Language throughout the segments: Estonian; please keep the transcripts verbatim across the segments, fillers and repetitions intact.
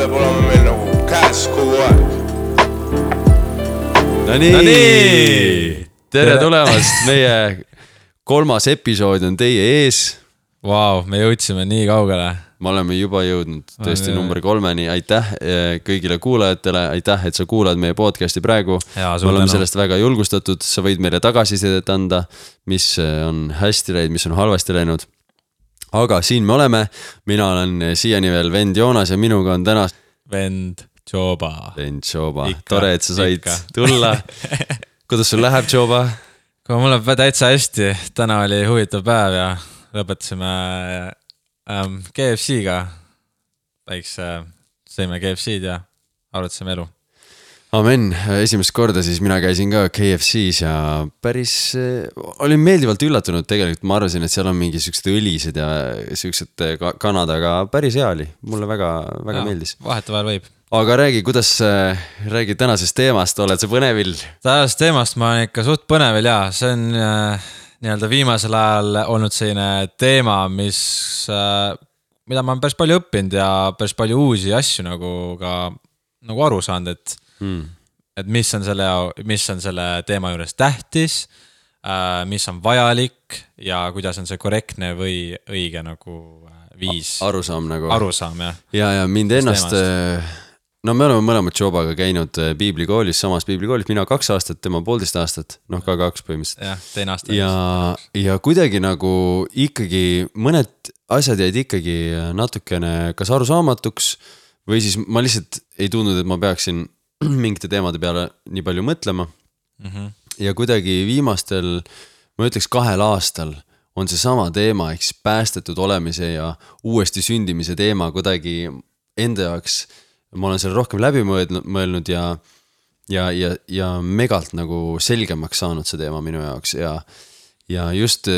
peab olema meil nagu käes kogu aeg. No nii, no nii. Tere tulemast, meie kolmas episood on teie ees. Vau, wow, me jõudsime nii kaugele. Me oleme juba jõudnud tõesti number kolmeni. Aitäh kõigile kuulajatele, aitäh, et sa kuulad meie podcasti praegu. Ja, me oleme sellest väga julgustatud, sa võid meile tagasisidet anda, mis on hästi läinud, mis on halvasti läinud. Aga siin me oleme, mina olen siiani veel vend Joonas ja minuga on täna vend Joba. Vend Joba, tore, et sa said ikka tulla. Kuidas sul läheb, Joba? Kui mul läheb täitsa hästi, täna oli huvitav päev ja lõpetasime ähm, K F C-ga. Väikse sõime K F C-d ja arutasime elu. Amen, esimest korda siis mina käisin ka K F C-s ja päris olin meeldivalt üllatunud tegelikult. Ma arvasin, et seal on mingi süksed õlised ja süksed kanad, aga päris hea oli. Mulle väga, väga ja, meeldis. Vahetevahel võib. Aga räägi, kuidas räägi tänasest teemast, oled sa põnevil? Tänasest teemast ma olen ikka suht põnevil ja see on äh, nii-öelda viimasel ajal olnud selline teema, mis, äh, mida ma olen päris palju õppinud ja päris palju uusi asju nagu, ka, nagu aru saanud, et Hmm. et mis on selle, mis on selle teema juures tähtis, mis on vajalik ja kuidas on see korrektne või õige nagu viis. Arusaam nagu. Arusaam, jah. Ja, ja mind ennast, no me oleme mõlemad Jobaga käinud piiblikoolis, samas piiblikoolis, mina kaks aastat, tema poolteist aastat, noh ka kaks põhimõtteliselt. Jah, teine aasta. Ja, ja kuidagi nagu ikkagi mõned asjad jäid ikkagi natukene kas arusaamatuks või siis ma lihtsalt ei tundnud, et ma peaksin mingite teemade peale nii palju mõtlema mm-hmm. ja kuidagi viimastel, ma ütleks kahel aastal on see sama teema, eks päästetud olemise ja uuesti sündimise teema kuidagi enda jaoks, ma olen seal rohkem läbi mõelnud ja, ja, ja, ja megalt nagu selgemaks saanud see teema minu jaoks ja, ja just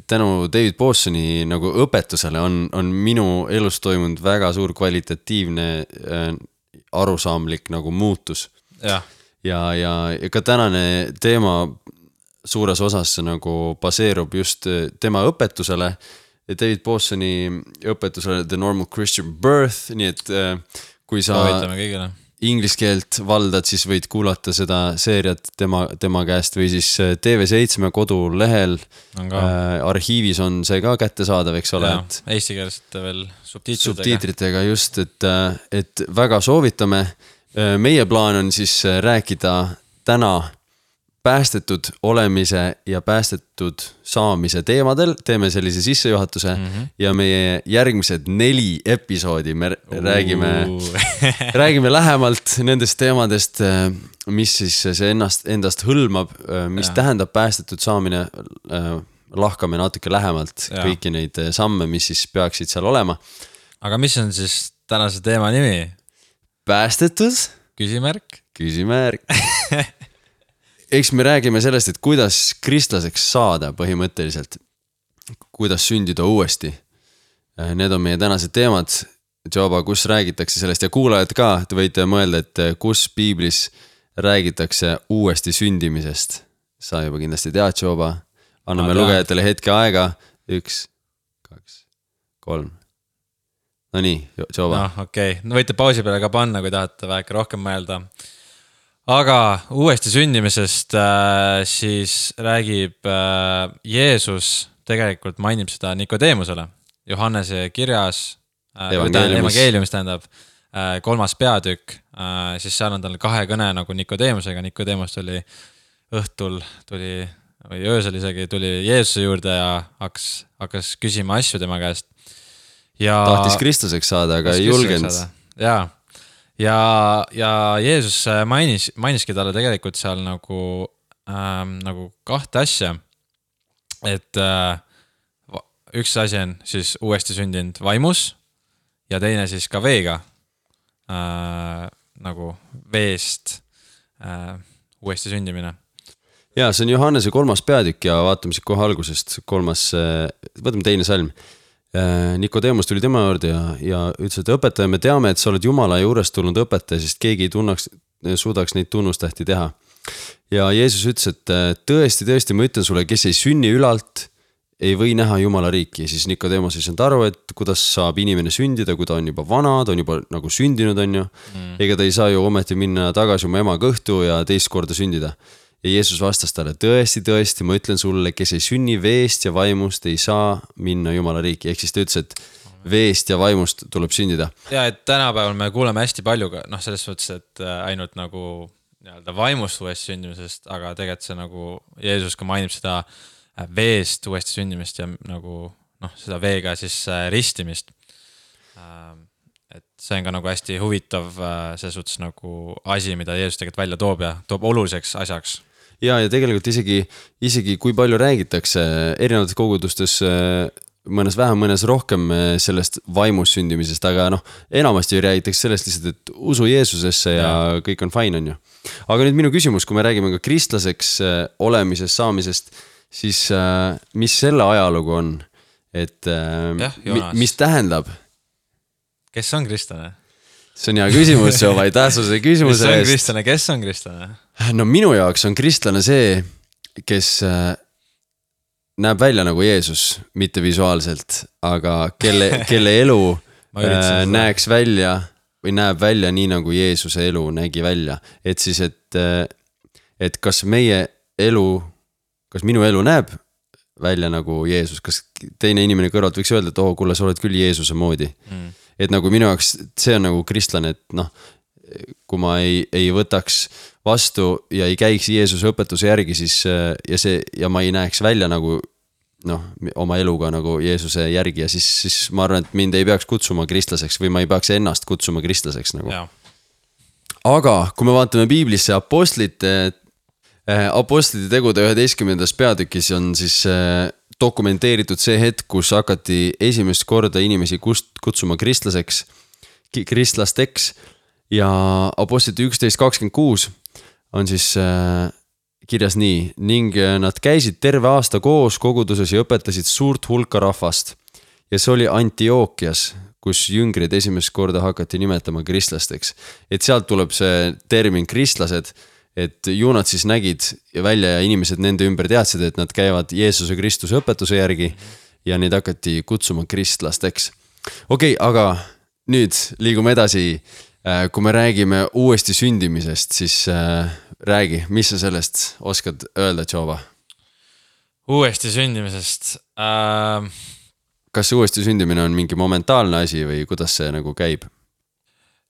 tänu David Pawsoni nagu õpetusele on, on minu elus toimunud väga suur kvalitatiivne arusaamlik nagu muutus. Ja. Ja, ja, ja ka tänane teema suures osas nagu baseerub just tema õpetusele, David Pawsoni õpetusele The Normal Christian Birth, nii et kui sa inglise keelt valdad, siis võid kuulata seda seeriat tema, tema käest või siis T V seitse kodulehel äh, arhiivis on see ka kättesaadav, eks ole. Et, eesti keelest veel subtiitritega. Subtiitritega just, et, et väga soovitame. Meie plaan on siis rääkida täna päästetud olemise ja päästetud saamise teemadel. Teeme sellise sissejuhatuse mm-hmm. ja meie järgmised neli episoodi me räägime, räägime lähemalt nendest teemadest, mis siis see ennast, endast hõlmab, mis ja. Tähendab päästetud saamine, lahkame natuke lähemalt ja. Kõiki neid samme, mis siis peaksid seal olema. Aga mis on siis tänase teema nimi? Päästetud? Küsimärk? Küsimärk. Eks me räägime sellest, et kuidas kristlaseks saada põhimõtteliselt, kuidas sündida uuesti. Need on meie tänased teemad. Joba, kus räägitakse sellest ja kuulajad ka, te võite mõelda, et kus piiblis räägitakse uuesti sündimisest. Sa juba kindlasti tead, Joba. Anname lugejatele hetke aega. Üks, kaks, kolm. No nii, Joba. No okei, okay. No võite pausi peale ka panna, kui tahate väike rohkem mõelda. Aga uuesti sündimisest äh, siis räägib äh, Jeesus, tegelikult mainib seda Nikodeemusele. Johannese kirjas, äh, evangeeliumis tähendab, äh, kolmas peatükk, äh, siis seal on tal kahe kõne nagu Nikodeemusega. Nikodeemus tuli õhtul, tuli, või öösel isegi tuli Jeesuse juurde ja hakkas, hakkas küsima asju tema käest. Ja, tahtis Kristuseks saada, aga ei julgenud. Jaa. Ja, ja Jeesus mainis, mainiski talle tegelikult seal nagu, ähm, nagu kahte asja, et äh, üks asi on siis uuesti sündinud vaimus ja teine siis ka veega, äh, nagu veest äh, uuesti sündimine. Ja see on Johannese kolmas peatükk ja vaatame siit kohe algusest kolmas, võtame teine salm. Nikodeemus tuli tema juurde ja, ja ütles, et õpetaja, me teame, et sa oled Jumala juurest tulnud õpetaja, sest keegi ei tunnaks, suudaks neid tunnustähti teha. Ja Jeesus ütles, et tõesti, tõesti, ma ütlen sulle, kes ei sünni ülalt ei või näha Jumala riiki. Siis Nikodeemos ei saanud aru, et kuidas saab inimene sündida, kui ta on juba vana, ta on juba nagu sündinud, on ju. Mm. Ega ta ei saa ju ometi minna tagasi oma ema kõhtu ja teist korda sündida. Ja Jeesus vastas talle, tõesti, tõesti, ma ütlen sulle, kes ei sünni veest ja vaimust, ei saa minna Jumala riiki. Ehk siis ta ütles, et veest ja vaimust tuleb sündida. Ja et tänapäeval me kuuleme hästi palju, noh selles mõttes, et ainult nagu nii-öelda vaimust uuesti sündimisest, aga tegelikult see nagu Jeesus ka mainib seda veest uuesti sündimist ja nagu noh, seda veega siis ristimist. Et see on ka nagu hästi huvitav selles suhtes nagu asi, mida Jeesus tegelikult välja toob ja toob oluliseks asjaks. Ja, ja tegelikult isegi, isegi kui palju räägitakse erinevates kogudustes mõnes vähem, mõnes rohkem sellest vaimus sündimisest, aga noh, enamasti räägitakse sellest lihtsalt, et usu Jeesusesse ja, ja kõik on fine, on ju. Aga nüüd minu küsimus, kui me räägime ka kristlaseks olemisest, saamisest, siis mis selle ajalugu on, et ja, mis tähendab? Kes on kristlane? See on hea küsimus, see on vaid tähtsuse küsimuse eest. Mis on kristlane, kes on kristlane? No minu jaoks on kristlane see, kes näeb välja nagu Jeesus, mitte visuaalselt, aga kelle, kelle elu näeks välja või näeb välja nii nagu Jeesuse elu nägi välja. Et siis, et, et kas meie elu, kas minu elu näeb välja nagu Jeesus, kas teine inimene kõrvalt võiks öelda, et oh, kuule, sa oled küll Jeesuse moodi. Mm. Et nagu minu jaoks see on nagu kristlane, et noh, kui ma ei, ei võtaks vastu ja ei käiks Jeesuse õpetuse järgi, siis ja, see, ja ma ei näeks välja nagu noh, oma eluga nagu Jeesuse järgi ja siis, siis ma arvan, et mind ei peaks kutsuma kristlaseks või ma ei peaks ennast kutsuma kristlaseks nagu. Ja. Aga kui me vaatame piiblisse apostlite, apostlite tegude üheteistkümnendas peatükis on siis dokumenteeritud see hetk, kus hakati esimest korda inimesi kutsuma kristlaseks, kristlasteks ja apostlite üksteist kakskümmend kuus on siis kirjas nii ning nad käisid terve aasta koos koguduses ja õpetasid suurt hulka rahvast ja see oli Antiokias, kus jüngrid esimest korda hakati nimetama kristlasteks. Et sealt tuleb see termin kristlased, et ju nad siis nägid välja ja inimesed nende ümber teadsid, et nad käivad Jeesuse Kristuse õpetuse järgi ja neid hakati kutsuma kristlasteks. Okei, okay, aga nüüd liigume edasi. Kui me räägime uuesti sündimisest, siis räägi, mis sa sellest oskad öelda, Tšova? Uuesti sündimisest? Äh... Kas uuesti sündimine on mingi momentaalne asi või kuidas see nagu käib?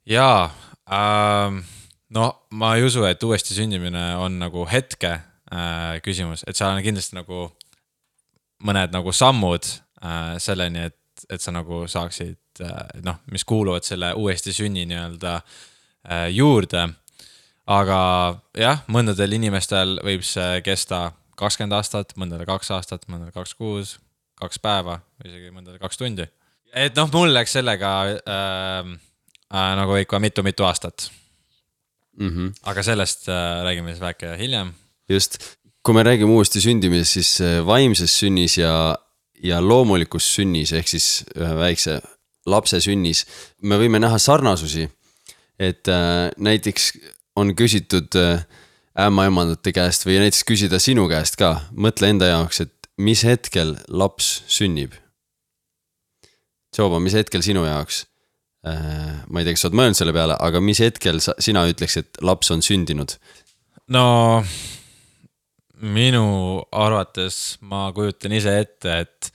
Jaa, äh... no ma ei usu, et uuesti sündimine on nagu hetke äh, küsimus, et seal on kindlasti nagu mõned nagu sammud äh, selleni, et, et sa nagu saaksid äh, noh, mis kuuluvad selle uuesti sünni nii-öelda äh, juurde. Aga jah, mõndadel inimestel võib see kesta kakskümmend aastat, mõndadel kaks aastat, mõndadel kaks kuus, kaks päeva, isegi mõndadel kaks tundi. Et noh, mul läks sellega äh, äh, nagu ikka mitu-mitu aastat. Mm-hmm. Aga sellest äh, räägime siis väike hiljem. Just, kui me räägime uuesti sündimisest, siis vaimses sünnis ja, ja loomulikus sünnis, ehk siis ühe väikse lapse sünnis, me võime näha sarnasusi, et äh, näiteks on küsitud äh, ämmaemandate käest või näiteks küsida sinu käest ka, mõtle enda jaoks, et mis hetkel laps sünnib. Tšoba, mis hetkel sinu jaoks? Ma ei tea, kas sa oled mõelnud selle peale, aga mis hetkel sa, sina ütleks, et laps on sündinud? No minu arvates ma kujutan ise ette, et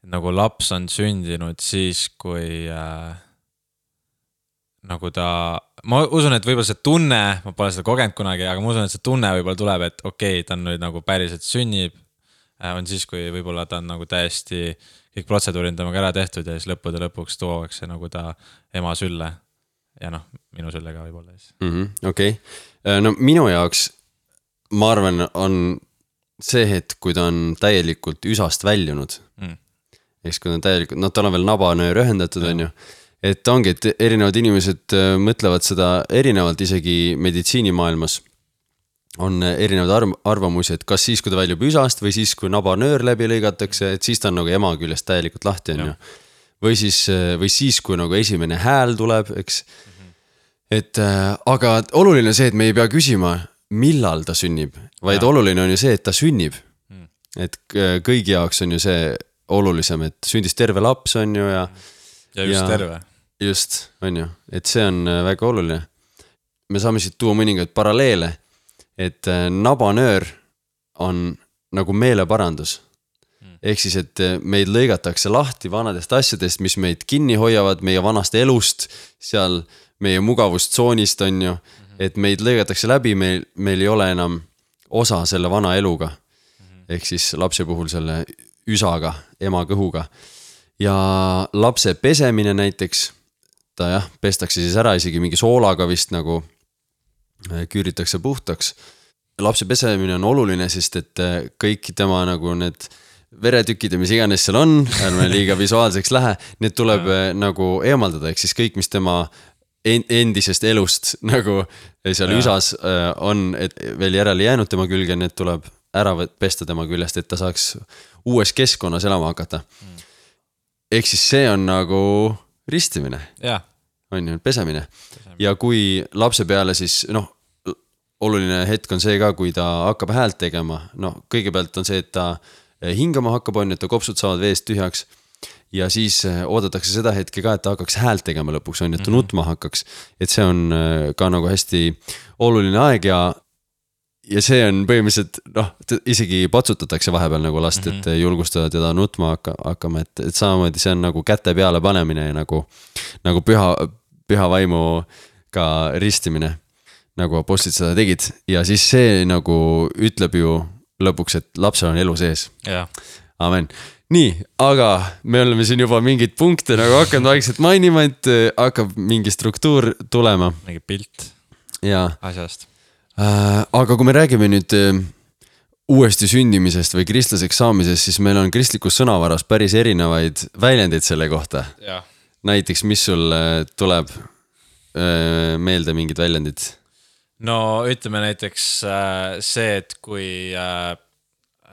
nagu laps on sündinud siis, kui äh, nagu ta, ma usun, et võib-olla see tunne, ma pole seda kogenud kunagi, aga ma usun, et see tunne võib-olla tuleb, et okei, okay, ta on nüüd nagu päriselt sünnib, äh, on siis, kui võib-olla ta on nagu täiesti kõik protseduurid temaga ära tehtud ja siis lõppude lõpuks tuuakse nagu ta ema sülle ja noh, minu sülle ka võib-olla siis. Mm-hmm, okei, okay. No minu jaoks ma arvan on see hetk, kui ta on täielikult üsast väljunud mm. Eks kui ta on täielikult, noh tal on veel nabanöör ühendatud on ju, et ongi, et erinevad inimesed mõtlevad seda erinevalt isegi meditsiinimaailmas on erinevad arvamusi, et kas siis, kui ta väljub üsast või siis, kui nabanöör läbi lõigatakse, et siis ta on nagu ema küljest täielikult lahti on ju. Või siis, või siis, kui nagu esimene hääl tuleb, eks. Mm-hmm. Et aga oluline on see, et me ei pea küsima, millal ta sünnib, vaid ja. Oluline on ju see, et ta sünnib. Mm. et kõigi jaoks on ju see olulisem, et sündis terve laps on ju ja ja just ja, terve. Just, on ju, et see on väga oluline. Me saame siit tuua mõningaid paralleele, et nabanöör on nagu meeleparandus. Ehk siis, et meid lõigatakse lahti vanadest asjadest, mis meid kinni hoiavad, meie vanast elust, seal meie mugavustsoonist on ju, et meid lõigatakse läbi, meil, meil ei ole enam osa selle vana eluga. Ehk siis lapse puhul selle üsaga, ema kõhuga. Ja lapse pesemine näiteks, ta jah, pestakse siis ära isegi mingi soolaga vist nagu küüritakse puhtaks. Lapse pesemine on oluline, sest et kõik tema nagu need veretükid ja mis iganes seal on, ärme liiga visuaalseks lähe, need tuleb ja. Nagu eemaldada, ehk siis kõik, mis tema endisest elust nagu seal ja. Üsas on et veel järele jäänud tema külge, need tuleb ära pesta tema küljest, et ta saaks uues keskkonnas elama hakata. Mm. Ehk siis see on nagu ristimine. Ja. On ju, pesemine. pesemine. Ja kui lapse peale siis, noh, oluline hetk on see ka, kui ta hakkab häält tegema, no kõigepealt on see, et ta hingama hakkab on, et ta kopsud saavad veest tühjaks ja siis oodatakse seda hetke ka, et ta hakkaks häält tegema lõpuks, on, et ta nutma hakkaks. Et see on ka nagu hästi oluline aeg ja, ja see on põhimõtteliselt, noh, isegi patsutatakse vahepeal nagu last, et julgustada teda nutma hakka, hakkama, et, et samamoodi see on nagu käte peale panemine ja nagu, nagu püha, püha vaimu ka ristimine, nagu apostlid seda tegid. Ja siis see nagu ütleb ju lõpuks, et lapsel on elu sees. Ja. Amen. Nii, aga me oleme siin juba mingid punkte nagu hakkanud vaikselt mainima, et hakkab mingi struktuur tulema. Mingi pilt ja. Asjast. Äh, aga kui me räägime nüüd uuesti sündimisest või kristlaseks saamisest, siis meil on kristlikus sõnavaras päris erinevaid väljendeid selle kohta. Ja. Näiteks, mis sul tuleb meelde mingid väljendid? No ütleme näiteks see, et kui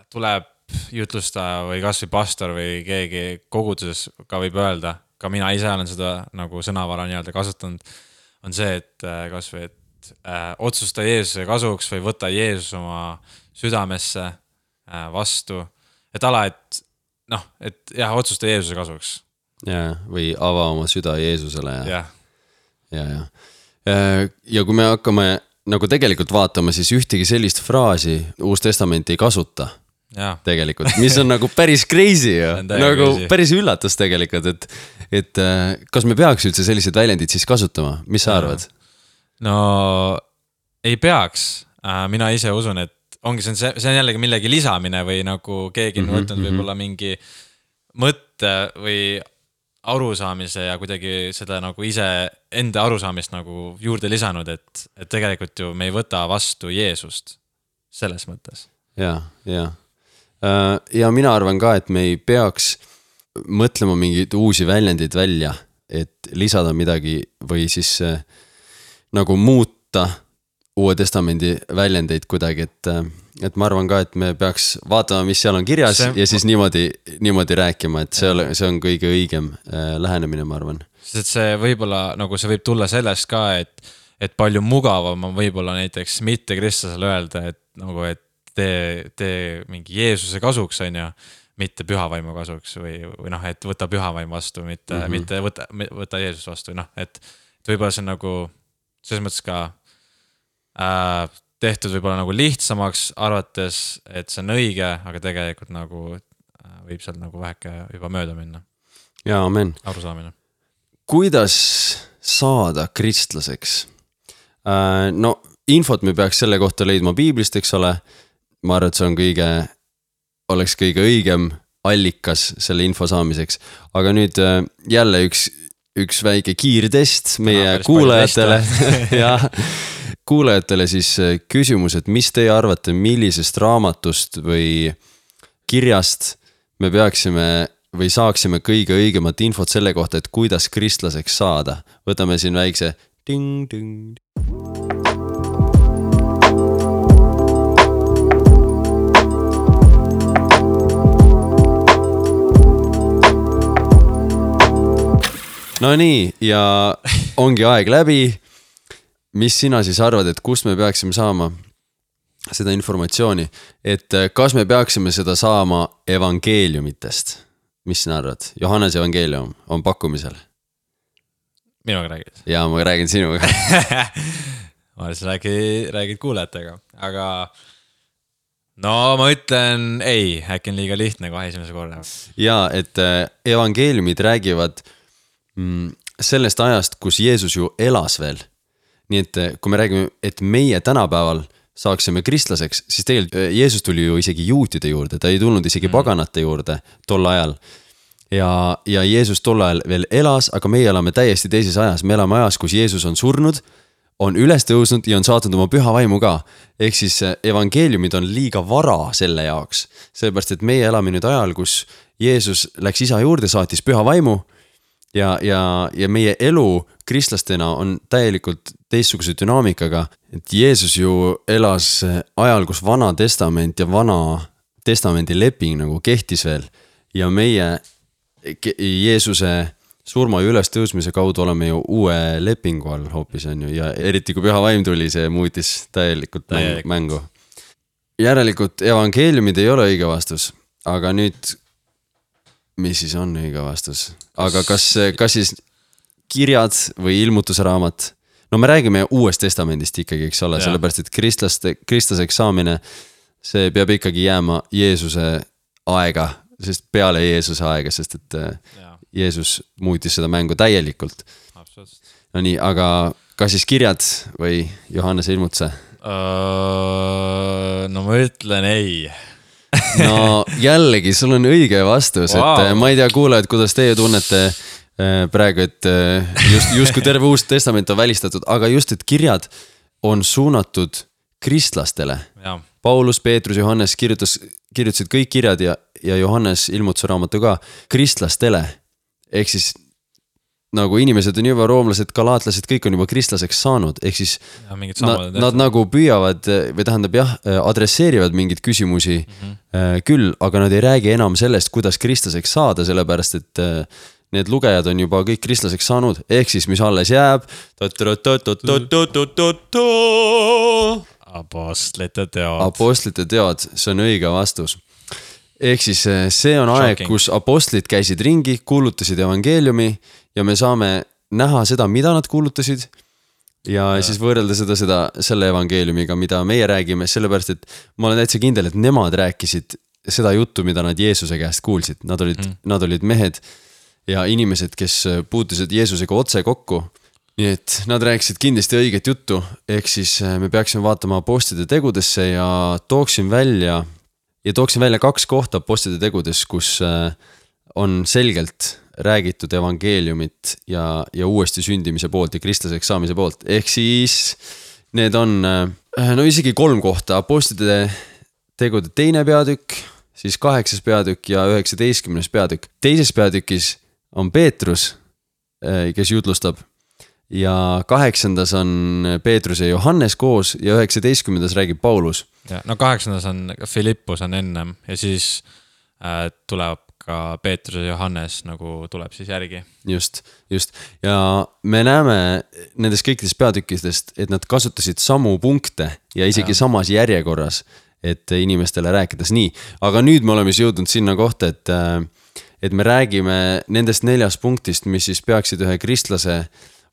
tuleb jutlustaja või kas või pastor või keegi koguduses ka võib öelda, ka mina ise olen seda nagu sõnavara nii-öelda kasutanud, on see, et kas või, et otsusta Jeesuse kasuks või võta Jeesus oma südamesse vastu. Et ala, et noh, et jah, otsusta Jeesuse kasuks. Ja, või ava oma süda Jeesusele. Ja, ja, ja. ja. ja kui me hakkame nagu tegelikult vaatama, siis ühtegi sellist fraasi Uus Testament ei kasuta. Ja. Tegelikult, mis on nagu päris crazy ja nagu crazy. Päris üllatus tegelikult, et, et kas me peaks üldse sellised väljendid siis kasutama? Mis sa arvad? No ei peaks. Mina ise usun, et ongi, see on, see on jällegi millegi lisamine või nagu keegi on võtnud mm-hmm. võib-olla mingi mõtte või arusaamise ja kuidagi seda nagu ise enda arusaamist nagu juurde lisanud, et, et tegelikult ju me ei võta vastu Jeesust selles mõttes. Ja, ja. Ja mina arvan ka, et me ei peaks mõtlema mingeid uusi väljendid välja, et lisada midagi või siis nagu muuta Uue Testamendi väljendeid kuidagi, et, et ma arvan ka, et me peaks vaatama, mis seal on kirjas see... ja siis niimoodi, niimoodi rääkima, et see, ole, see on kõige õigem lähenemine, ma arvan. Sest see võib-olla, nagu see võib tulla sellest ka, et, et palju mugavam on võib-olla näiteks mitte kristlasele öelda, et nagu, et tee, tee mingi Jeesuse kasuks, on ju, mitte pühavaimu kasuks või, või noh, et võta pühavaim vastu, mitte, mm-hmm. mitte võta, võta Jeesus vastu, noh, et, et võib-olla see on nagu selles mõttes ka äh, tehtud võib-olla nagu lihtsamaks arvates, et see on õige, aga tegelikult nagu äh, võib seal nagu väheke juba mööda minna. Ja, amen. Arusaamine. Kuidas saada kristlaseks? Äh, no, infot me peaks selle kohta leidma Piiblist, eks ole. Ma arvan, et see on kõige, oleks kõige õigem allikas selle info saamiseks. Aga nüüd jälle üks, üks väike kiirtest meie no, kuulajatele. ja, kuulajatele siis küsimus, et mis teie arvate, millisest raamatust või kirjast me peaksime või saaksime kõige õigemat infot selle kohta, et kuidas kristlaseks saada. Võtame siin väikse ting, ting. No nii, ja ongi aeg läbi. Mis sina siis arvad, et kust me peaksime saama seda informatsiooni, et kas me peaksime seda saama evangeeliumitest. Mis sina arvad? Johannes evangeelium on pakkumisel. Minuga räägid? Jaa, ma räägin sinuga. ma siis räägid, räägid kuulajatega, aga no ma ütlen ei, äkki on liiga lihtne kohe esimese korra. Jaa, et evangeeliumid räägivad sellest ajast, kus Jeesus ju elas veel. Nii et kui me räägime, et meie tänapäeval saaksime kristlaseks, siis tegelikult Jeesus tuli ju isegi juutide juurde, ta ei tulnud isegi mm. paganate juurde tol ajal. Ja, ja Jeesus tol ajal veel elas, aga meie elame täiesti teises ajas. Me elame ajas, kus Jeesus on surnud, on üles tõusnud ja on saatnud oma püha vaimu ka. Ehk siis evangeeliumid on liiga vara selle jaoks. Sellepärast, et meie elame nüüd ajal, kus Jeesus läks isa juurde, saatis püha vaimu ja, ja, ja meie elu kristlastena on täielikult teistsuguse dünaamikaga, et Jeesus ju elas ajal, kus vana testament ja vana testamendi leping nagu kehtis veel ja meie Jeesuse surma ja üles tõusmise kaudu oleme ju uue lepingu all hoopis on ju ja eriti kui püha vaim tuli, see muutis täielikult Täielik. mängu. Järelikult evangeeliumid ei ole õige vastus, aga nüüd, mis siis on õige vastus? Aga kas, kas siis kirjad või ilmutuse raamat? No me räägime uuest testamendist ikkagi, eks ole, sellepärast, et kristlaste, kristlaseks saamine, see peab ikkagi jääma Jeesuse aega, sest peale Jeesuse aega, sest et ja. Jeesus muutis seda mängu täielikult. Absoluutselt. No nii, aga kas siis kirjad või Johannese ilmutuse? Uh, no ma ütlen ei. No jällegi, sul on õige vastus, wow. Et ma ei tea kuulajad, kuidas teie tunnete praegu, et just, just kui terve uus testament on välistatud, aga just, et kirjad on suunatud kristlastele. Ja. Paulus, Peetrus, Johannes kirjutas, kirjutasid kõik kirjad ja, ja Johannes ilmutuse raamatu ka kristlastele. Ehk siis nagu inimesed on juba roomlased, galaatlased, kõik on juba kristlaseks saanud. Ehk siis ja, nad, nad nagu püüavad või tähendab jah, adresseerivad mingid küsimusi mm-hmm. küll, aga nad ei räägi enam sellest, kuidas kristlaseks saada, sellepärast et need lugejad on juba kõik kristlaseks saanud, ehk siis mis alles jääb. Apostlite teod. Apostlite teod, see on õige vastus. Ehk siis see on aeg, kus apostlid käisid ringi, kuulutasid evangeeliumi ja me saame näha seda, mida nad kuulutasid ja, ja. siis võrrelda seda, seda selle evangeeliumiga, mida meie räägime, sellepärast, et ma olen täitsa kindel, et nemad rääkisid seda juttu, mida nad Jeesuse käest kuulsid. Nad olid, mm. nad olid mehed ja inimesed, kes puutusid Jeesusega otse kokku. Nii et nad rääkisid kindlasti õiget juttu, ehk siis me peaksime vaatama apostlite tegudesse ja tooksin välja, ja tooksin välja kaks kohta apostlite tegudes, kus on selgelt räägitud evangeeliumit ja, ja uuesti sündimise poolt ja kristlaseks saamise poolt. Ehk siis need on, no isegi kolm kohta, apostlite tegude teine peatükk, siis kaheksas peatükk ja üheksateistkümnes peatükk. Teises peatükis on Peetrus, kes jutlustab ja kaheksandas on Peetrus ja Johannes koos ja üheksateistkümnendas räägib Paulus. Ja, no kaheksandas on Filippus on ennem ja siis äh, tuleb ka Peetrus ja Johannes nagu tuleb siis järgi. Just, just. Ja me näeme nendest kõikidest peatükkidest, et nad kasutasid samu punkte ja isegi ja. samas järjekorras, et inimestele rääkides nii. Aga nüüd me oleme jõudnud sinna kohta, et et me räägime nendest neljast punktist, mis siis peaksid ühe kristlase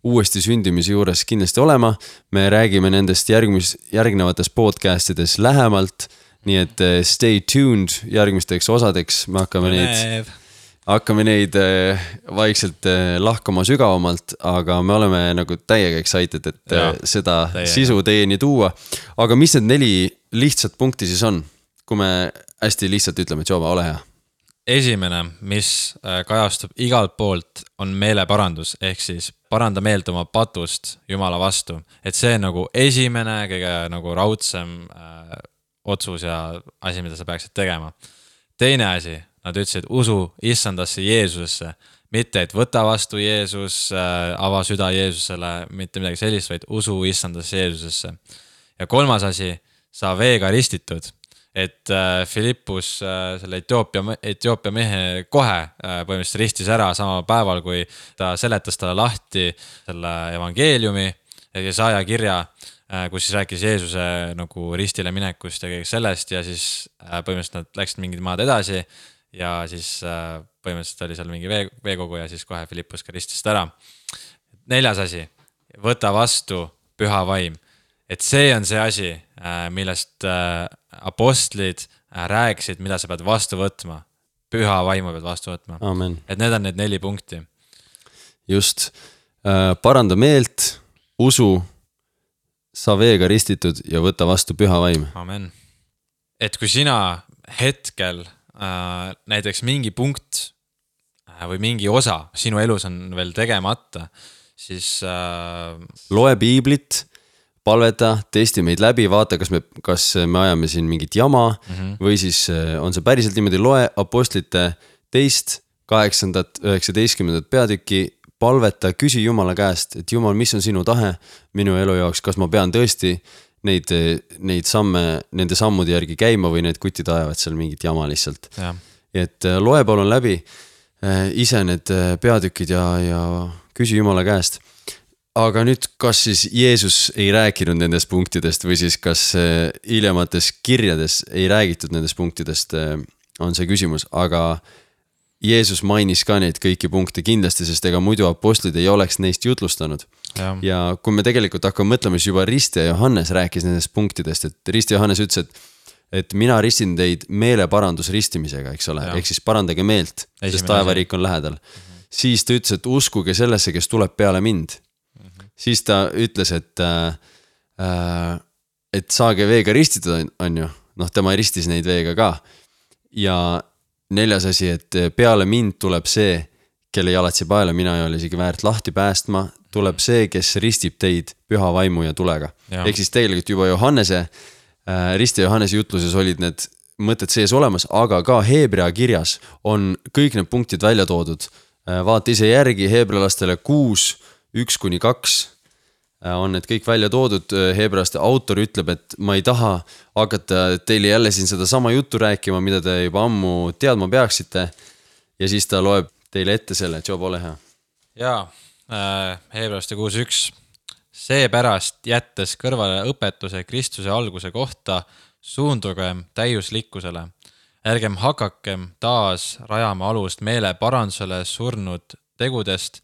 uuesti sündimise juures kindlasti olema. Me räägime nendest järgmis, järgnevates podcastides lähemalt, nii et stay tuned järgmisteks osadeks. Me hakkame neid, hakkame neid vaikselt lahkama sügavamalt, aga me oleme nagu täiega excited, et ja, seda täiega. Sisu teieni tuua. Aga mis need neli lihtsat punkti siis on? Kui me hästi lihtsalt ütleme, et Joba, ole hea. Esimene, mis kajastub igalt poolt, on meeleparandus, ehk siis paranda meelt oma patust Jumala vastu. Et see on nagu esimene, kõige nagu raudsem äh, otsus ja asi, mida sa peaksid tegema. Teine asi, nad ütlesid, usu issandasse Jeesusesse, mitte et võta vastu Jeesus, äh, ava süda Jeesusele, mitte midagi sellist, vaid usu issandasse Jeesusesse. Ja kolmas asi, sa veega ristitud. Et äh, Filippus äh, selle Etioopia, Etioopia mehe kohe äh, põhimõtteliselt ristis ära sama päeval, kui ta seletas talle lahti selle evangeeliumi ja Jesaja kirja kus siis rääkis Jeesuse nagu ristile minekust ja kõik sellest ja siis põhimõtteliselt nad läksid mingid maad edasi ja siis põhimõtteliselt oli seal mingi vee, veekogu ja siis kohe Philippus ka ristis ta ära. Neljas asi, võta vastu püha vaim. Et see on see asi, millest apostlid rääkisid, mida sa pead vastu võtma. Püha vaimu pead vastu võtma. Amen. Et need on need neli punkti. Just. Paranda meelt, usu, sa veega ristitud ja võta vastu püha vaim. Amen. Et kui sina hetkel näiteks mingi punkt või mingi osa sinu elus on veel tegemata, siis loe piiblit, palveta, testi meid läbi, vaata, kas me, kas me ajame siin mingit jama mm-hmm. või siis on see päriselt niimoodi, loe apostlite teist, kaheksandat, üheksateistkümnendat peatükki, palveta, küsi Jumala käest, et Jumal, mis on sinu tahe minu elu jaoks, kas ma pean tõesti neid, neid samme, nende sammude järgi käima või need kutid ajavad seal mingit jama lihtsalt. Ja. Et loe palun läbi ise need peatükid ja, ja küsi Jumala käest. Aga nüüd, kas siis Jeesus ei rääkinud nendest punktidest või siis kas hiljemates kirjades ei räägitud nendest punktidest, on see küsimus, aga Jeesus mainis ka neid kõiki punkte kindlasti, sest ega muidu apostlid ei oleks neist jutlustanud. Ja, ja kui me tegelikult hakkame mõtlema, siis juba Rist ja Johannes rääkis nendest punktidest, et Rist ja Johannes ütles, et, et mina ristin teid meeleparandus ristimisega, eks ole, ehk siis parandage meelt, Esimene sest taevariik on lähedal. Mm-hmm. Siis ta ütles, et uskuge sellesse, kes tuleb peale mind. Siis ta ütles, et, äh, et saage veega ristitud, on ju. Noh, tema ristis neid veega ka. Ja neljas asi, et peale mind tuleb see, kelle jalatsi paela mina ei ole isegi väärt lahti päästma, tuleb see, kes ristib teid püha vaimu ja tulega. Ja. Ehk siis tegelikult juba Johannese, äh, Risti ja Johannese jutluses olid need mõtted sees olemas, aga ka Heebrea kirjas on kõik need punktid välja toodud. Äh, vaata ise järgi heebrealastele kuus, üks kuni kaks on need kõik välja toodud. Heebrealaste autor ütleb, et ma ei taha hakata teile jälle siin seda sama juttu rääkima, mida te juba ammu teadma peaksite. Ja siis ta loeb teile ette selle, et Job, ole hea. Jaa, äh, Heebrealaste kuus üks. Seepärast jättes kõrvale õpetuse Kristuse alguse kohta, suundugem täiuslikkusele. Ärgem hakakem taas rajama alust meele parandusele surnud tegudest,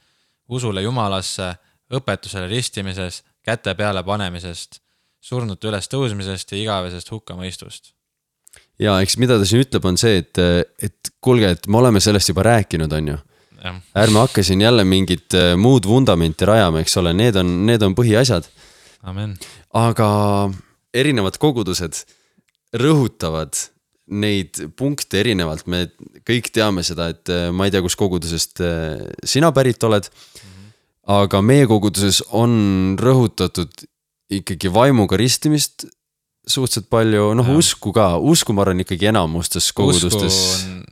usule Jumalasse, õpetusele ristimises, käte peale panemisest, surnute üles tõusmisest ja igavesest hukkamõistust. Ja eks mida ta siin ütleb on see, et, et kuulge, et me oleme sellest juba rääkinud, on ju. Ja. Ärme hakka siin jälle mingit muud vundamenti rajama, eks ole, need on, need on põhiasjad. Amen. Aga erinevad kogudused rõhutavad neid punkte erinevalt. Me kõik teame seda, et ma ei tea, kus kogudusest sina pärit oled, aga meie koguduses on rõhutatud ikkagi vaimuga ristimist suhteliselt palju, noh ja. usku ka, usku ma arvan ikkagi enamustes kogudustes. Usku on,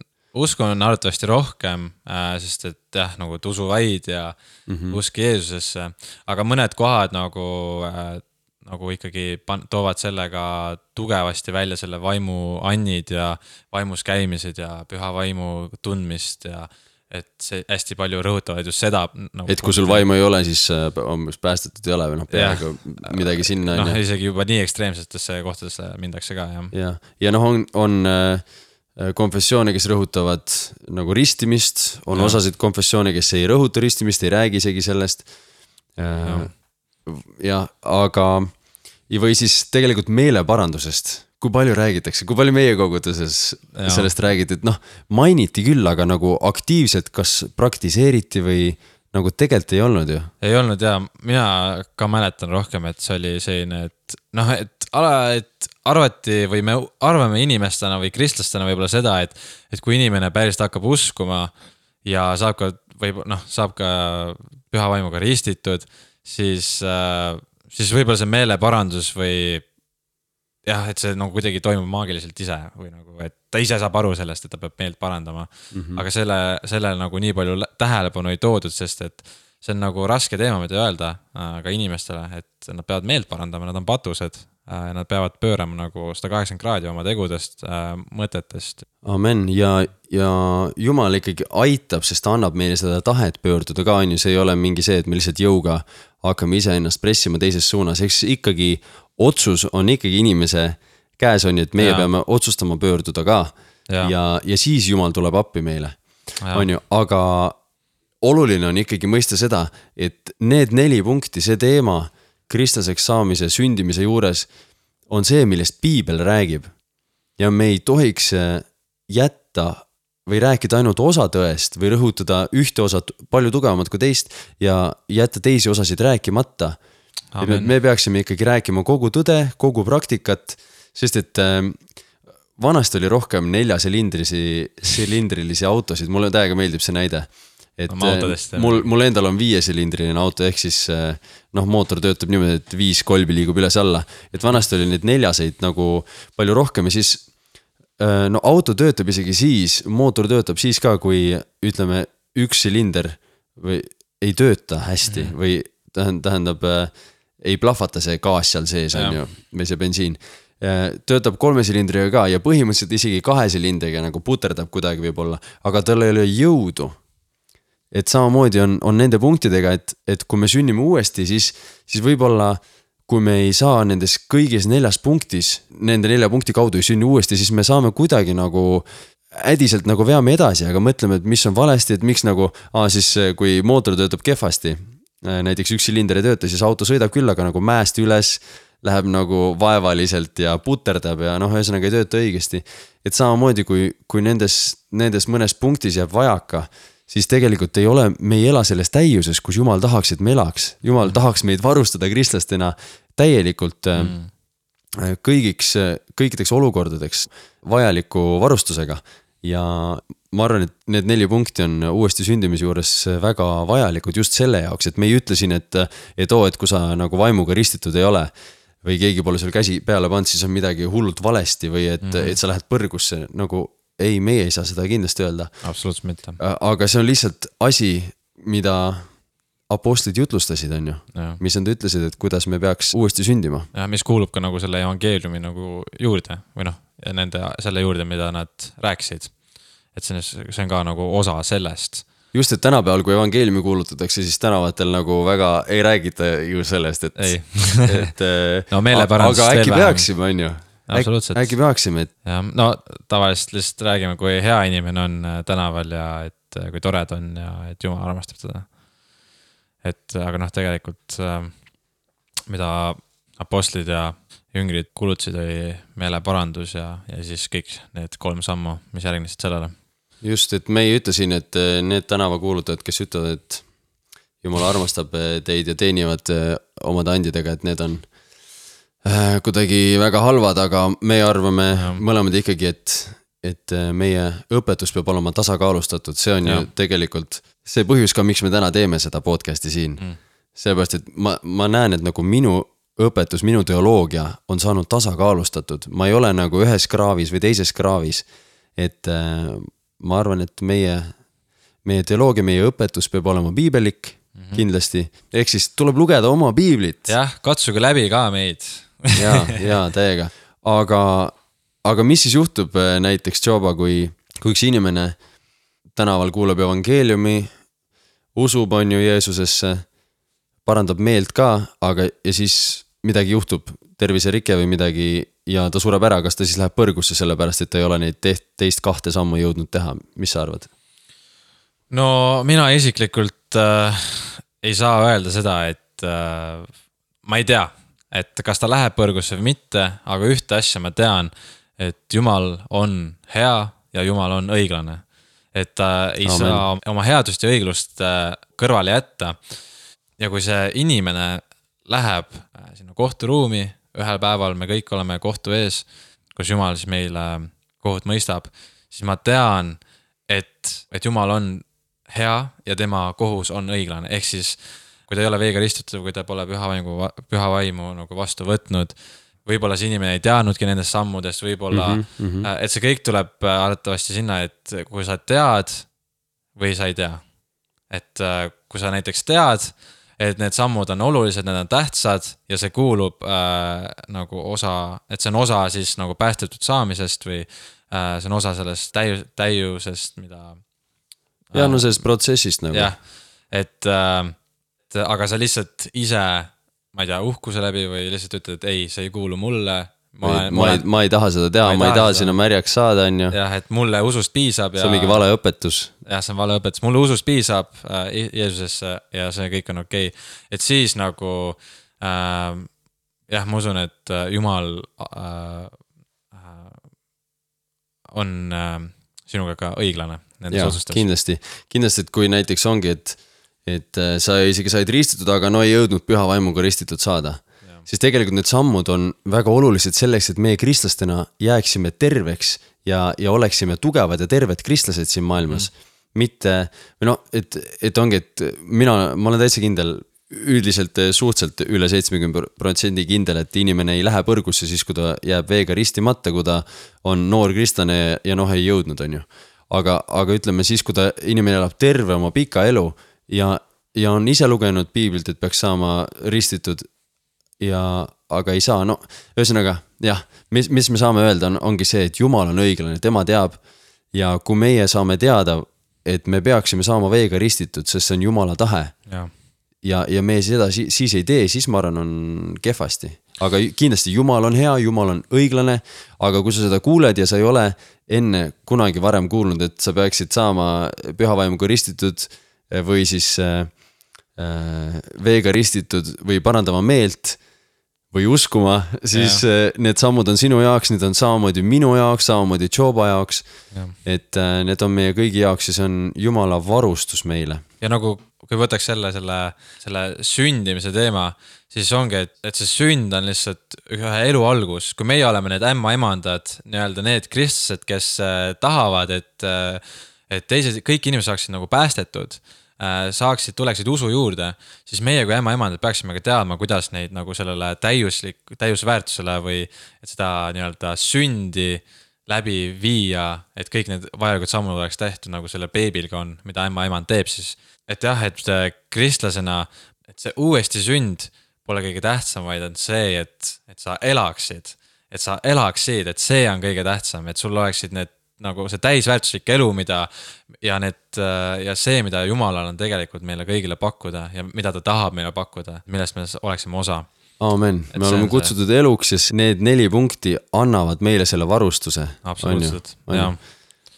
usku on arvatavasti rohkem, sest et jah, nagu usu vaid ja mm-hmm. usk Jeesusesse, aga mõned kohad nagu, nagu ikkagi pan- toovad sellega tugevasti välja selle vaimu annid ja vaimus käimised ja püha vaimu tundmist ja et see hästi palju rõhutavad just seda nagu, et kui sul vaimu ei ole, siis on päästetud ei ole või noh, peaaegu midagi sinna noh, isegi juba nii ekstreemsetesse kohtadesse mindakse ka jah. ja, ja noh, on, on konfessioone, kes rõhutavad nagu ristimist, on ja. Osasid konfessioone, kes ei rõhuta ristimist, ei räägi isegi sellest ja, ja aga või siis tegelikult meeleparandusest. Kui palju räägitakse, kui palju meie koguduses ja. Sellest räägiti, et noh, mainiti küll, aga nagu aktiivselt kas praktiseeriti või nagu tegelikult ei olnud ju? Ei olnud ja mina ka mäletan rohkem, et see oli selline, et noh, et, et arvati või me arvame inimestena või kristlastena võib-olla seda, et, et kui inimene päriselt hakkab uskuma ja saab ka, või noh, saab ka püha vaimuga ristitud, siis, siis võib-olla see meeleparandus või jah, et see nagu kuidagi toimub maagiliselt ise või nagu, et ta ise saab aru sellest, et ta peab meelt parandama. Mm-hmm. Aga selle, selle nagu nii palju tähelepanu ei toodud, sest et see on nagu raske teema, mida öelda ka inimestele, et nad peavad meelt parandama, nad on patused, nad peavad pöörama nagu sada kaheksakümmend kraadi oma tegudest, mõtetest. Amen ja, ja Jumal ikkagi aitab, sest ta annab meile seda tahet pöörduda ka, on ju, see ei ole mingi see, et me lihtsalt jõuga hakkame ise ennast pressima teises suunas, eks ikkagi otsus on ikkagi inimese käes on, et meie ja. peame otsustama pöörduda ka ja, ja, ja siis Jumal tuleb appi meile, on ju, aga oluline on ikkagi mõista seda, et need neli punkti, see teema kristlaseks saamise, sündimise juures on see, millest piibel räägib ja me ei tohiks jätta või rääkida ainult osa tõest või rõhutada ühte osat palju tugevamat kui teist ja jätta teisi osasid rääkimata. Me peaksime ikkagi rääkima kogu tõde, kogu praktikat, sest et vanasti oli rohkem neljasilindrilisi silindrilisi autosid, mulle täiega meeldib see näide. Et mul, mul endal on viiesilindriline auto, ehk siis noh, mootor töötab niimoodi, et viis kolbi liigub üles alla. Et vanasti oli neid neljaseid nagu palju rohkem ja siis no auto töötab isegi siis, mootor töötab siis ka, kui ütleme üks silinder või ei tööta hästi mm. või tähendab, ei plahvata see gaas seal sees on ju, või see bensiin. Töötab kolme silindriga ka ja põhimõtteliselt isegi kahe silindriga nagu puterdab kuidagi võib-olla, aga tal ei ole jõudu. Et samamoodi on, on nende punktidega, et, et kui me sünnime uuesti, siis, siis võib-olla kui me ei saa nendes kõigis neljas punktis, nende nelja punkti kaudu ei sünni uuesti, siis me saame kuidagi nagu ädiselt nagu veame edasi, aga mõtleme, et mis on valesti, et miks nagu, aa, siis kui mootor töötab kehvasti, näiteks üks silinder ei tööta, siis auto sõidab küll, aga nagu mäest üles, läheb nagu vaevaliselt ja puterdab ja noh, ühesõnaga ei tööta õigesti. Et samamoodi, kui, kui nendes, nendes mõnes punktis jääb vajaka, siis tegelikult ei ole, me ei ela selles täiuses, kus Jumal tahaks, et me elaks. Jumal tahaks meid varustada kristlastena täielikult mm. kõigiks, kõikideks olukordadeks vajaliku varustusega. Ja ma arvan, et need neli punkti on uuesti sündimise juures väga vajalikud just selle jaoks, et me ei ütle siin, et, et oo, et kui sa nagu vaimuga ristitud ei ole või keegi pole sul käsi peale pannud, siis on midagi hullult valesti või et, mm. et sa lähed põrgusse nagu ei, meie ei saa seda kindlasti öelda. Absoluutselt mitte. Aga see on lihtsalt asi, mida apostlid jutlustasid, on ju. Ja. Mis nad ütlesid, et kuidas me peaks uuesti sündima. Ja mis kuulub ka nagu selle evangeeliumi nagu juurde või noh, nende selle juurde, mida nad rääkisid. Et see on ka nagu osa sellest. Just, et tänapäeval, kui evangeeliumi kuulutatakse, siis tänavatel nagu väga ei räägita ju sellest, et, et no meeleparandust aga äkki peaksime, on ju. Absoluutselt. Äkki peaksime, et... Ja, no tavaliselt lihtsalt räägime, kui hea inimene on tänaval ja et kui tored on ja et Jumal armastab teda. Et aga noh, tegelikult mida apostlid ja jüngrid kulutasid oli meeleparandus ja, ja siis kõik need kolm sammu, mis järgnesid sellele. Just, et me ei ütle siin, et need tänavakuulutajad, kes ütlevad, et Jumal armastab teid ja teenivad omade andidega, et need on kuidagi väga halvad, aga me arvame ja. mõlemad ikkagi, et, et meie õpetus peab olema tasakaalustatud. See on ja. ju tegelikult see põhjus ka, miks me täna teeme seda podcasti siin. Mm. Seepärast, et ma, ma näen, et nagu minu õpetus, minu teoloogia on saanud tasakaalustatud. Ma ei ole nagu ühes kraavis või teises kraavis. Et äh, ma arvan, et meie, meie teoloogia, meie õpetus peab olema piibelik mm-hmm. kindlasti. Ehk siis tuleb lugeda oma piiblit. Jah, katsuge läbi ka meid. ja, ja täiega. Aga, aga mis siis juhtub näiteks Joba, kui, kui üks inimene tänaval kuulab evangeeliumi, usub on ju Jeesusesse, parandab meelt ka, aga ja siis midagi juhtub, terviserike või midagi ja ta sureb ära, kas ta siis läheb põrgusse sellepärast, et ta ei ole neid teist, teist kahte sammu jõudnud teha. Mis sa arvad? No mina isiklikult äh, ei saa öelda seda, et äh, ma ei tea, et kas ta läheb põrgusse või mitte, aga ühte asja ma tean, et Jumal on hea ja Jumal on õiglane. Et ta ei Amen. saa oma headust ja õiglust kõrvale jätta. Ja kui see inimene läheb sinna kohturuumi, ühel päeval me kõik oleme kohtu ees, kus Jumal siis meile kohut mõistab, siis ma tean, et, et Jumal on hea ja tema kohus on õiglane. Ehk siis kui ta ei ole veega ristutud, kui ta pole püha vaimu, püha vaimu nagu vastu võtnud, võib-olla see inimene ei teadnudki nendest sammudest, võib-olla, mm -hmm. et see kõik tuleb arvatavasti sinna, et kui sa tead või sa ei tea. Et kui sa näiteks tead, et need sammud on olulised, need on tähtsad ja see kuulub äh, nagu osa, et see on osa siis nagu päästetud saamisest või äh, see on osa sellest täiu, täiusest, mida... Ja no sellest protsessist nagu. Jah, et... Äh, et aga sa lihtsalt ise, ma ei tea, uhkuse läbi või lihtsalt ütled, et ei, see ei kuulu mulle. Ma, olen, ma, ei, ma ei taha seda teha, ma ei, ma ei taha, taha sinna märjaks saada, on ju. Jah, et mulle usust piisab. See on mingi vale õpetus. Jah, see on vale õpetus. Mulle usust piisab äh, Jeesusesse ja see kõik on okei. Et siis nagu, äh, jah, ma usun, et Jumal äh, on äh, sinuga ka õiglane. Ja, kindlasti, kindlasti, et kui näiteks ongi, et, et sa isegi said ristitud, aga no ei jõudnud püha vaimuga ristitud saada, ja. Siis tegelikult need sammud on väga olulised selleks, et meie kristlastena jääksime terveks ja, ja oleksime tugevad ja terved kristlased siin maailmas. Mm. Mitte, või no, et, et ongi, et mina, ma olen täitsa kindel, üldiselt suhtselt üle seitsekümmend protsenti kindel, et inimene ei lähe põrgusse siis, kui ta jääb veega ristimata, kui ta on noor kristlane ja noh, ei jõudnud, on ju. Aga, aga ütleme siis, kui ta inimene elab terve oma pika elu ja, ja on ise lugenud piiblilt, et peaks saama ristitud ja, aga ei saa, no ühesõnaga, jah, mis, mis me saame öelda, on, ongi see, et Jumal on õiglane, tema teab ja kui meie saame teada, et me peaksime saama veega ristitud, sest see on Jumala tahe ja, ja, ja me seda siis, siis ei tee, siis ma arvan, on kehvasti. Aga kindlasti Jumal on hea, Jumal on õiglane, aga kui sa seda kuuled ja sa ei ole enne kunagi varem kuulnud, et sa peaksid saama pühavaimuga ristitud või siis äh, veega ristitud või parandama meelt või uskuma, siis ja. Need sammud on sinu jaoks, need on samamoodi minu jaoks, samamoodi Joba jaoks, ja. Et äh, need on meie kõigi jaoks ja see on Jumala varustus meile. Ja nagu kui võtaks selle, selle, selle sündimise teema, siis ongi, et, et see sünd on lihtsalt ühe elu algus. Kui meie oleme need ämma emandad, nii-öelda need kristlased, kes äh, tahavad, et, äh, et teised, kõik inimesed saaksid nagu päästetud, äh, saaksid, tuleksid usu juurde, siis meie kui ämma emandad peaksime ka teadma, kuidas neid nagu sellele täiuslik, täiusväärtusele või et seda nii-öelda sündi läbi viia, et kõik need vajalikud sammud oleks tehtud, nagu selle beebilga on, mida ämma emand teeb siis. Et jah, et kristlasena, et see uuesti sünd pole kõige tähtsam, vaid on see, et, et sa elaksid, et sa elaksid, et see on kõige tähtsam, et sul oleksid need, nagu see täisväärtuslik elu, mida ja, need, ja see, mida Jumalal on tegelikult meile kõigile pakkuda ja mida ta tahab meile pakkuda, millest me oleksime osa. Aamen, me oleme kutsutud see... eluks ja need neli punkti annavad meile selle varustuse. Absoluutselt, jah.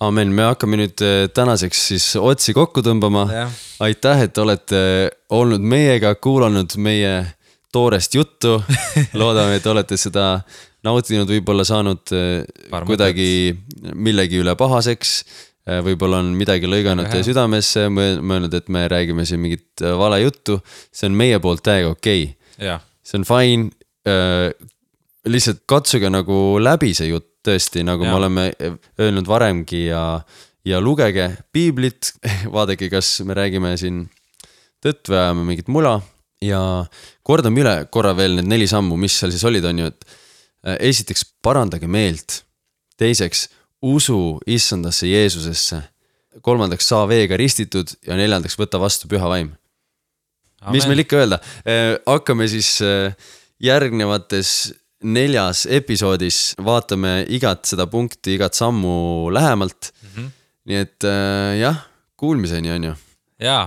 Aamen, me hakkame nüüd tänaseks siis otsi kokku tõmbama. Ja. Aitäh, et olete olnud meiega, kuulanud meie toorest juttu. Loodame, et olete seda nautinud, võib-olla saanud Parmutet. Kuidagi millegi üle pahaseks. Võib-olla on midagi lõiganud teie südamesse, mõelnud, et me räägime siin mingit vale juttu. See on meie poolt täiega okei. Ja. See on fine. Lihtsalt katsuge nagu läbi see jutt. Tõesti, nagu ja. Me oleme öelnud varemgi ja, ja lugege piiblit, vaadake, kas me räägime siin tõtt või ajame mingit mula ja kordame üle korra veel need neli sammu, mis seal siis olid, on ju, et esiteks parandage meelt, teiseks usu issandasse Jeesusesse, kolmandaks saa veega ristitud ja neljandaks võta vastu püha vaim. Amen. Mis meil ikka öelda? Hakkame siis järgnevates neljas episoodis vaatame igat seda punkti, igat sammu lähemalt. Mm-hmm. Nii et äh, jah, kuulmiseni on ju. Jaa,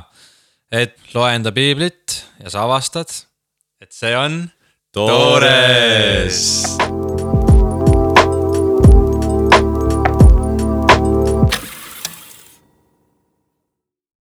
et loe enda piiblit ja sa avastad, et see on toores.